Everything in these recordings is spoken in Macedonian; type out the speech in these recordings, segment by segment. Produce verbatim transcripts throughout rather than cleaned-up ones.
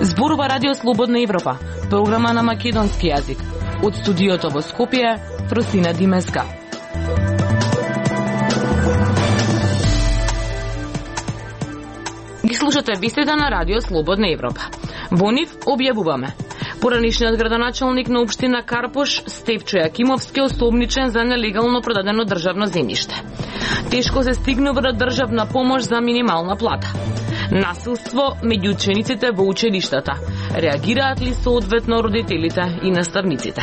Зборува Радио Слободна Европа, програма на македонски јазик. Од студиото во Скопје, Фросина Димеска. Ги слушате вестите на Радио Слободна Европа. Во нив објавуваме: поранишниот градоначалник на општина Карпош, Стефчо Јакимовски, осомничен за нелегално продадено државно земјиште. Тешко се стигнува до државна помош за минимална плата. Насилство меѓу учениците во училиштата. Реагираат ли соодветно родителите и наставниците?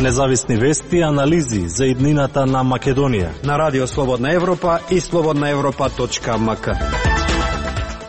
Независни вести и анализи за иднината на Македонија на Радио Слободна Европа и слободна европа точка ем ка.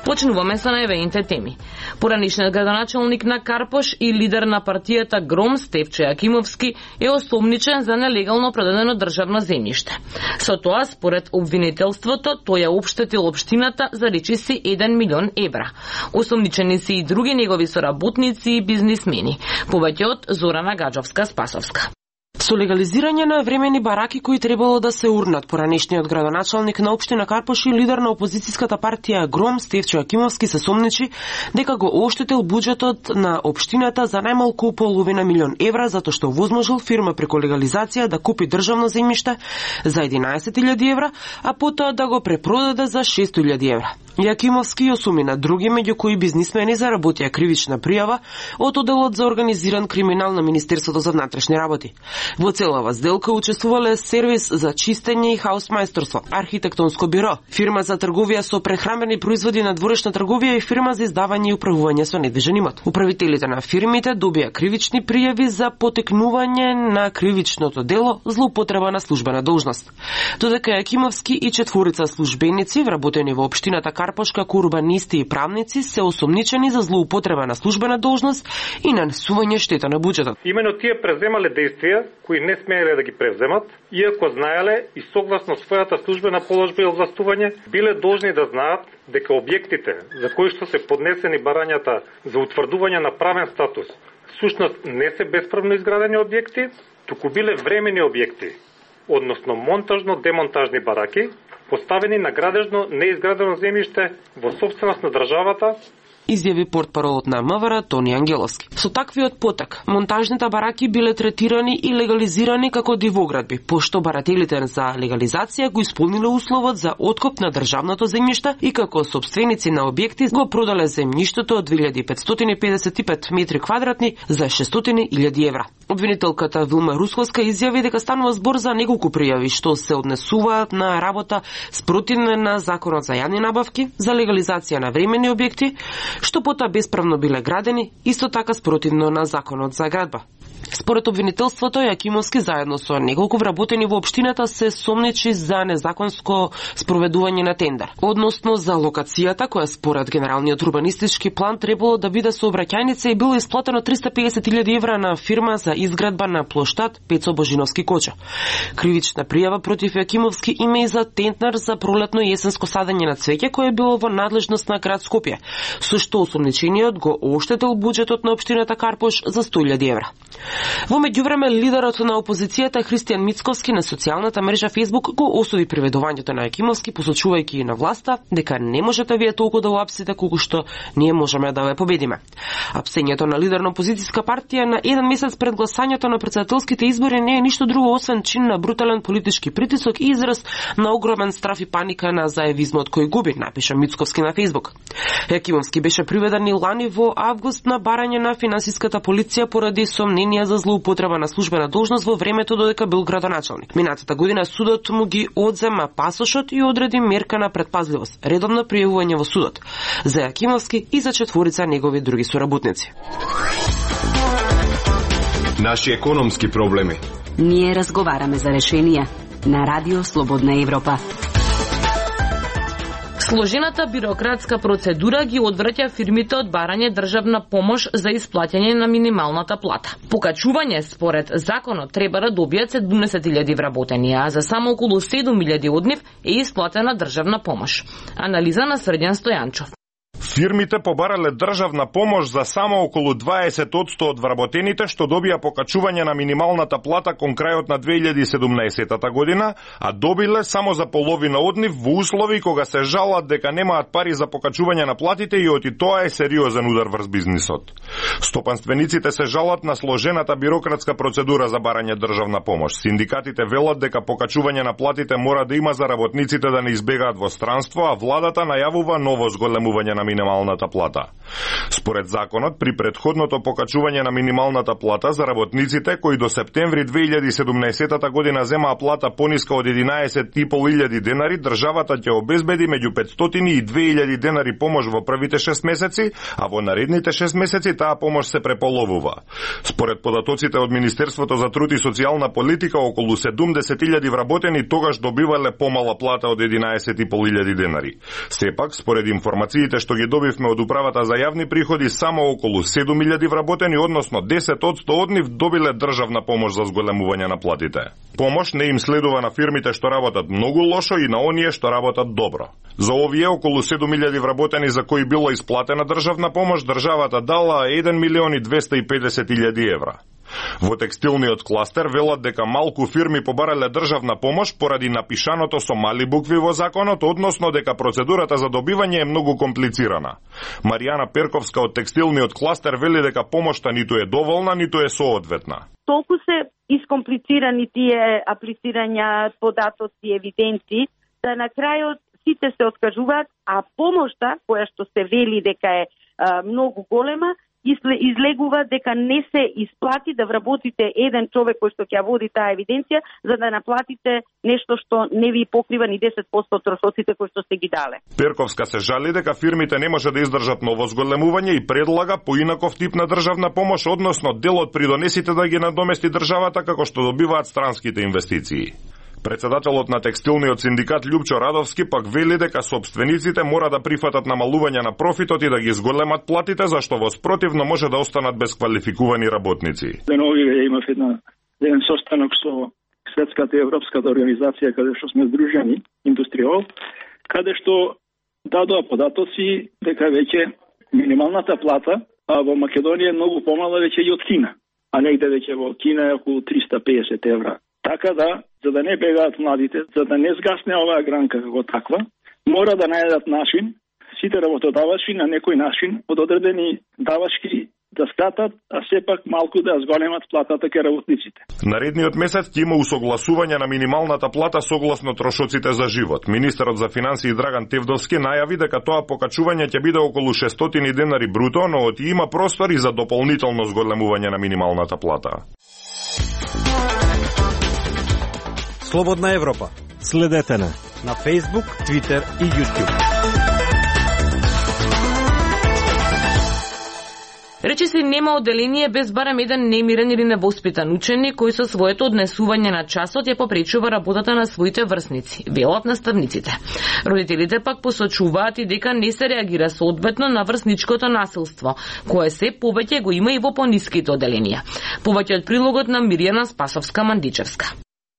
Почнуваме со најавените теми. Поранишниот градоначалник на Карпош и лидер на партијата Гром, Стефчо Јакимовски, е осомничен за нелегално продадено државно земјиште. Со тоа, според обвинителството, тој ја општетил општината за речиси еден милион евра. Осомничени се и други негови соработници и бизнисмени. Повеќе од Зорана Гаджовска-Спасовска. Со легализирање на времени бараки кои требало да се урнат, поранешниот градоначалник на општина Карпош и лидер на опозицијската партија Гром, Стефчо Јакимовски, се сомничи дека го оштетил буџетот на општината за најмалку половина милион евра, затоа што возможил фирма преку легализација да купи државно земјиште за единаесет илјади евра, а потоа да го препродаде за шест илјади евра. Јакимовски осуми на други, меѓу кои бизнисмени, заработија кривична пријава од Оделот за организиран криминал на Министерството за внатрешни работи. Во целава сделка учествувале сервис за чистење и хаусмајсторство, архитектонско биро, фирма за трговија со прехранбени производи на дворешна трговија и фирма за издавање и управување со недвижен имот. Управителите на фирмите добија кривични пријави за потекнување на кривичното дело злоупотреба на службена должност. Додека Јакимовски и четворица службеници вработени во општината Карпош како урбанисти и правници се осомничени за злоупотреба на службена должност и нанесување штета на буџетот. Имено тие преземале действија кои не смееле да ги превземат, иако знаеле и согласно својата службена положба и овластување, биле должни да знаат дека објектите за кои што се поднесени барањата за утврдување на правен статус, всушност не се бесправно изградени објекти, туку биле времени објекти, односно монтажно-демонтажни бараки, поставени на градежно неизградено земјиште во сопственост на државата, изјави портпаролот на МВР Тони Ангеловски. Со таквиот потек, монтажните бараки биле третирани и легализирани како дивоградби, пошто барателите за легализација го исполниле условот за откуп на државното земјиште и како сопственици на објекти го продале земјиштето од две илјади петстотини и педесет и пет метри квадратни за шестстотини илјади евра. Обвинителката Вилма Русковска изјави дека станува збор за неколку пријави што се однесуваат на работа спротивна на Законот за јавни набавки, за легализација на времени објекти, што потоа бесправно биле градени, исто така спротивно на Законот за градба. Според обвинителството, Јакимовски заедно со неколку вработени во општината се сомничи за незаконско спроведување на тендер, односно за локацијата која според генералниот урбанистички план требало да биде сообраќајница и било исплатено триста и педесет илјади евра на фирма за изградба на плоштад Пецо Божиновски Коча. Кривична пријава против Јакимовски има и за тендер за пролетно и есенско садење на цвеќе кое било во надлежност на град Скопје, со што осомничениот го оштетил буџетот на општината Карпош за сто илјади евра. Во меѓувреме, лидерот на опозицијата Христијан Мицковски на социјалната мрежа Facebook го осуди приведувањето на Јакимовски, посочувајќи на власта дека не можете вие толку да уапсите колку што ние можеме да ве победиме. Апсењето на лидер на опозицијска партија на еден месец пред гласањето на претседателските избори не е ништо друго освен чин на брутален политички притисок и израз на огромен страф и паника на заевизмот кој губи, напиша Мицковски на Facebook. Јакимовски беше приведен и лани во август на барање на финансиската полиција поради сомненија за злоупотреба на службена должност во времето додека бил градоначалник. Минатата година судот му ги одзема пасошот и одреди мерка на предпазливост, редовно пријавување во судот за Јакимовски и за четворица негови други соработници. Наши економски проблеми. Ние разговараме за решенија на Радио Слободна Европа. Сложената бирократска процедура ги одвраќа фирмите од барање државна помош за исплаќање на минималната плата. Покачување според законот треба да добијат седумдесет илјади вработени, а за само околу седум илјади од нив е исплатена државна помош. Анализа на Срдјан Стојанчов. Фирмите побарале државна помош за само околу дваесет одсто од вработените што добија покачување на минималната плата кон крајот на две илјади и седумнаесетта година, а добиле само за половина од нив во услови кога се жалат дека немаат пари за покачување на платите и оти тоа е сериозен удар врз бизнисот. Стопанствениците се жалат на сложената бирократска процедура за барање државна помош. Синдикатите велат дека покачување на платите мора да има за работниците да не избегаат во странство, а владата најавува ново зголемување на минималната плата. Според законот, при претходното покачување на минималната плата за работниците кои до септември две илјади и седумнаесетта година земаа плата пониска од единаесет и пол илјади денари, државата ќе обезбеди меѓу петстотини и две илјади денари помош во првите шест месеци, а во наредните шест месеци таа помош се преполовува. Според податоците од Министерството за труд и социјална политика, околу седумдесет илјади вработени тогаш добивале помала плата од единаесет и пол илјади денари. Сепак, според информациите што ги добивме од Управата за јавни приходи, само околу седум илјади вработени, односно десет одсто од нив добиле државна помош за зголемување на платите. Помош не им следува на фирмите што работат многу лошо и на оние што работат добро. За овие околу седум илјади вработени за кои било исплатена државна помош, државата дала еден милион и двесте и педесет илјади евра. Во текстилниот кластер велат дека малку фирми побарале државна помош поради напишаното со мали букви во законот, односно дека процедурата за добивање е многу комплицирана. Маријана Перковска од текстилниот кластер вели дека помошта ниту е доволна, ниту е соодветна. Толку се искомплицирани тие аплицирања, податоци, евиденции, да на крајот сите се откажуваат, а помошта, која што се вели дека е а, многу голема, излегува дека не се исплати да вработите еден човек кој што ќе води таа евиденција, за да наплатите нешто што не ви покрива ни десет одсто од трошоците кои што сте ги дале. Перковска се жали дека фирмите не може да издржат ново зголемување и предлага поинаков тип на државна помош, односно дел од придонесите да ги надомести државата како што добиваат странските инвестиции. Председателот на текстилниот синдикат Љупчо Радовски пак вели дека собствениците мора да прифатат намалување на профитот и да ги зголемат платите, зашто во спротивно може да останат без квалификувани работници. Деновиве имав една еден состанок со Светската и Европската организација каде што сме здружени, Индустриол, каде што дадоа податоци дека веќе минималната плата а во Македонија е многу помала веќе и од Кина, а негде веќе во Кина е околу триста и педесет евра. Така да, за да не бегаат младите, за да не сгасне оваа гранка како таква, мора да најдат начин, сите работодавачи на некој начин, од одредени давачки да скратат, а сепак малку да зголемат платата ке работниците. Наредниот месец ќе има усогласување на минималната плата согласно трошоците за живот. Министерот за финансии Драган Тевдовски најави дека тоа покачување ќе биде околу шестстотини денари бруто, но оти има простор и за дополнително зголемување на минималната плата. Слободна Европа. Следете на на Facebook, Twitter и YouTube. Речи се нема одделение без барем еден немирен или невоспитан ученик кој со своето однесување на часот ја попречува работата на своите врсници, велат наставниците. Родителите пак посочуваат и дека не се реагира соодветно на врсничкото насилство, кое се повеќе го има и во пониските одделенија. Повеќе од прилогот на Мирјана Спасовска-Мандичевска.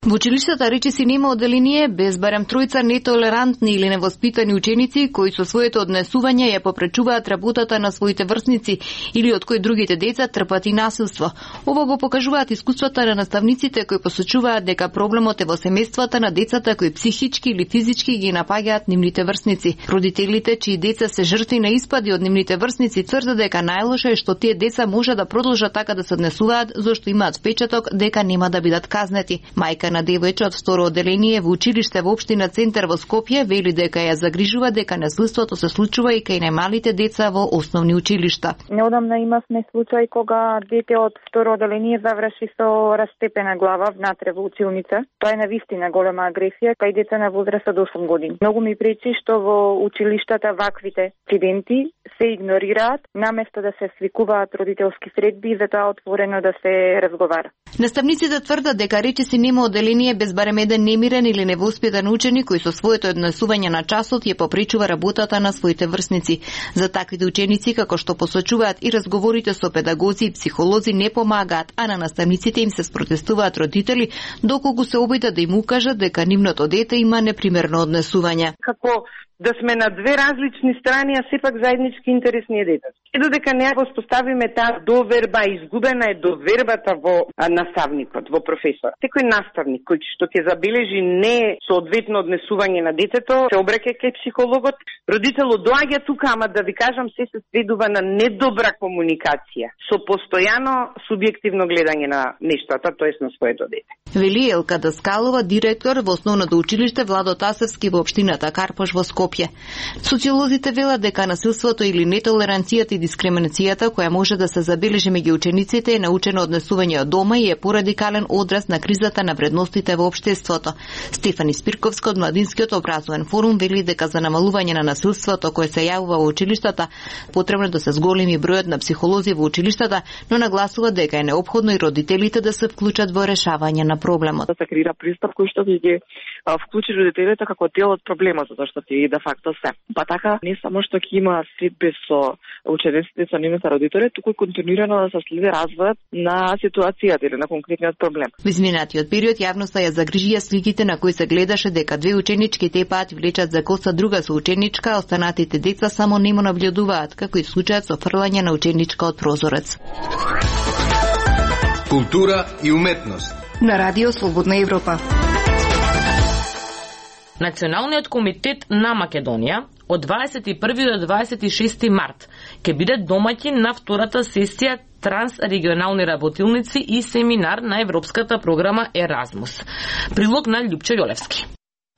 Во училиштата речиси нема одделение без барем тројца нетолерантни или невоспитани ученици кои со своето однесување ја попречуваат работата на своите врсници или од кои другите деца трпат и насилство. Ова го покажуваат искуствата на наставниците кои посочуваат дека проблемот е во семејствата на децата кои психички или физички ги напаѓаат нивните врсници. Родителите чии деца се жртви на испади од нивните врсници тврдат дека најлошо е што тие деца може да продолжат така да се однесуваат зашто имаат впечаток дека нема да бидат казнети. Мајка на девојче од второ одделение во училиште во општина Центар во Скопје вели дека ја загрижува дека насилството се случува и кај најмалите деца во основни училишта. Неодамна имавме случај кога дете од второ одделение заврши со растепена глава внатре во училница. Тоа е навистина голема агресија кај деца на возраст од осум години. Многу ми пречи што во училиштата ваквите инциденти се игнорираат, наместо да се свикуваат родителски средби и затоа отворено да се разговара. Наставниците тврдат дека речиси нема одделение без барем еден немирен или невоспитан ученик кој со своето однесување на часот ја попречува работата на своите врсници. За таквите ученици, како што посочуваат и разговорите со педагози и психолози, не помагаат, а на наставниците им се спротестуваат родители доколку се обидат да им укажат дека нивното дете има непримерно однесување. Како да сме на две различни страни, а сепак заеднички интерес ни е детето. И додека не воспоставиме таа доверба, изгубена е довербата во наставникот, во професор. Секој наставник кој што ќе забележи не соодветно однесување на детето, се обраќа кај психологот, родителот доаѓа тука, ама да ви кажам, се се сведува на недобра комуникација, со постојано субјективно гледање на нештата, тоест на своето дете. Вели Елка Даскалова, директор во основното училиште Владо Тасевски во општината Карпош во Скопје. Социолозите велат дека насилството или нетолеранцијата и дискриминацијата која може да се забележи меѓу учениците е научено однесување од дома и е порадикален одраз на кризата на вредностите во општеството. Стефани Спирковска од Младинскиот образовен форум вели дека за намалување на насилството кое се јавува во училиштата потребно да се зголеми бројот на психолози во училиштата, но нагласува дека е неопходно и родителите да се вклучат во решавање на проблемот. Да се креира пристап кој што ќе ги вклучи родителите како дел од проблемот, затоа што ти де факто се. Па така не само што ќе има следби со учениците со нивните родители, туку и континуирано да се следи развојот на ситуацијата или на конкретниот проблем. Во изминатиот период јавноста ја загрижија сликите на кои се гледаше дека две ученички тепаат и влечат за коса друга соученичка, а останатите деца само нему наблюдуваат, како и случајот со фрлање на ученичка од прозорец. Култура и уметност. На Радио Слободна Европа. Националниот комитет на Македонија од дваесет и први до дваесет и шести март ќе биде домаќин на втората сесија трансрегионални работилници и семинар на европската програма Еразмус. Прилог на Љупчо Јолевски.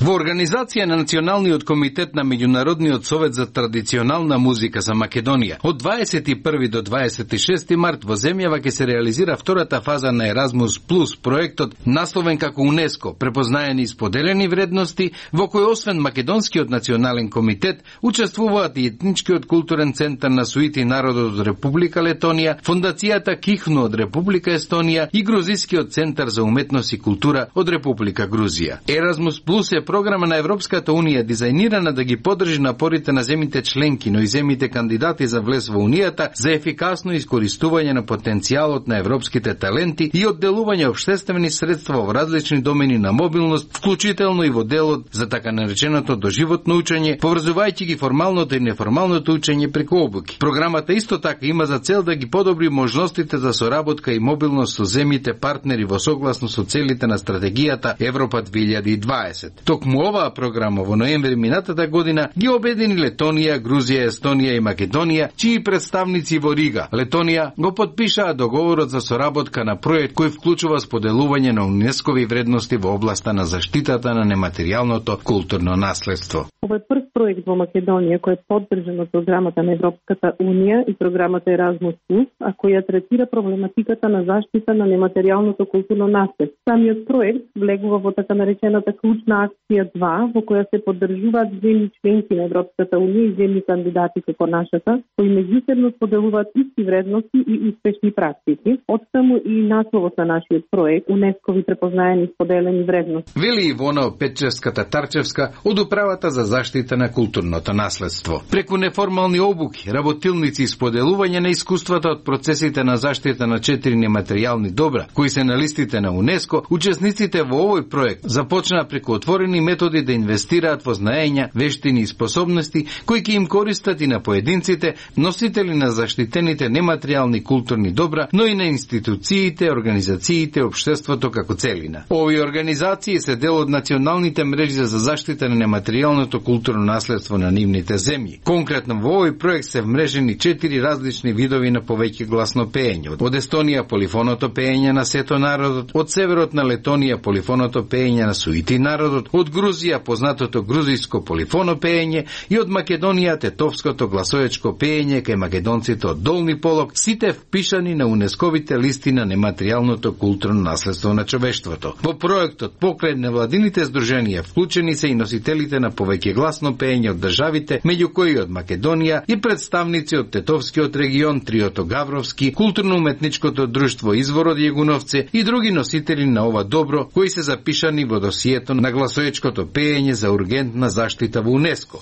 Во организација на Националниот комитет на Меѓународниот совет за традиционална музика за Македонија од дваесет и први до дваесет и шести март во земјава ќе се реализира втората фаза на Еразмус Плюс проектот насловен како УНЕСКО препознаени и споделени вредности, во кој освен Македонскиот национален комитет учествуваат и етничкиот културен центар на Суити народот од Република Летонија, фондацијата Кихну од Република Естонија и Грузискиот центар за уметност и култура од Република Грузија. Еразмус Плюс е програма на Европската Унија дизајнирана да ги поддржи напорите на земите членки, но и земите кандидати за влез во Унијата за ефикасно искористување на потенцијалот на европските таленти и одделување општествени средства во различни домени на мобилност, вклучително и во делот за така нареченото доживотно учење, поврзувајќи ги формалното и неформалното учење преку обуки. Програмата исто така има за цел да ги подобри можностите за соработка и мобилност со земите партнери во согласно со целите на стратегијата Европа две илјади и дваесет. Токму оваа програма во ноември минатата година ги обедини Летонија, Грузија, Естонија и Македонија, чии представници во Рига, Летонија, го подпишаа договорот за соработка на проект кој вклучува споделување на УНЕСКОви вредности во областа на заштитата на нематеријалното културно наследство. Ова е прв проект во Македонија кој е поддржан од програмата на Европската Унија и програмата Еразмус Плюс, а која третира проблематиката на заштита на нематеријалното културно наследство. Самиот проект влегува во така наречената клучна акција два, во која се поддржуваат земји членки на Европската Унија и земји кандидати како нашата, кои меѓусебно споделуваат исти вредности и успешни практики. Оттаму и насловот на нашиот проект УНЕСКОви препознаени споделени вредности. Вели Ивона Петчевска-Тарчевска од управата за заштита на културното наследство. Преку неформални обуки, работилници и споделување на искуствата од процесите на заштита на четири нематеријални добра, кои се на листите на УНЕСКО, учесниците во овој проект започнаа преку отворени методи да инвестираат во знаења, вештини и способности кои ќе им користат и на поединците, носители на заштитените нематеријални културни добра, но и на институциите, организациите, општеството како целина. Овие организации се дел од националните мрежи за заштита на нематеријалното културно наследство на нивните земји. Конкретно во овој проект се вмрежени четири различни видови на повеќе гласно пеење. Од Естонија полифоното пеење на сето народот, од северот на Летонија полифоното пеење на Суити народот, од Грузија познатото грузиско полифоно пеење и од Македонија тетовското гласоечко пеење кај македонците од Долни Полок, сите впишани на УНЕСКОвите листи на нематеријалното културно наследство на човештвото. Во проектот покрај невладините здруженија вклучени се и носителите на повеќе гласно пеење од државите, меѓу кои од Македонија и представници од Тетовскиот регион, триото Гавровски, културно-уметничкото друштво Извор од Јегуновце и други носители на ова добро кои се запишани во досието на гласоечкото пеење за ургентна заштита во УНЕСКО.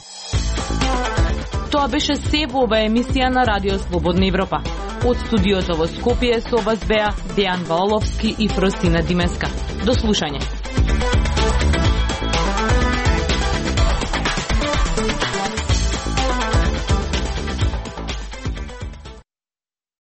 Тоа беше се во оваа емисија на Радио Слободна Европа. Од студиото во Скопје со вас беа Дејан Ваоловски и Фростина Димеска. До слушање.